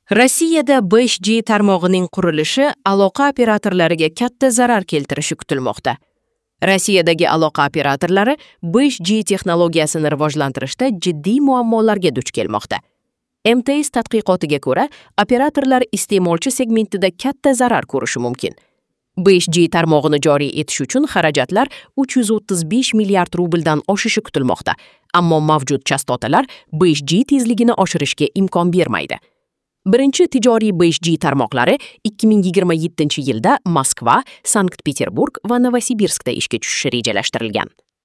Rossiyada 5G tarmog'ining qurilishi aloqa operatorlariga katta zarar keltirishi kutilmoqda. Rossiyadagi aloqa operatorlari 5G texnologiyasini rivojlantirishda jiddiy muammolarga duch kelmoqda. MTS tadqiqotiga ko'ra, operatorlar iste'molchi segmentida katta zarar ko'rishi mumkin. 5G tarmog'ini joriy etish uchun xarajatlar 335 milliard rubldan oshishi kutilmoqda, ammo mavjud chastotalar 5G tezligini oshirishga imkon bermaydi. Birinchi tijoriy 5G tarmoqlari 2027-yilda Moskva, Sankt-Peterburg va Novosibirskda ishga tushishi rejalashtirilgan.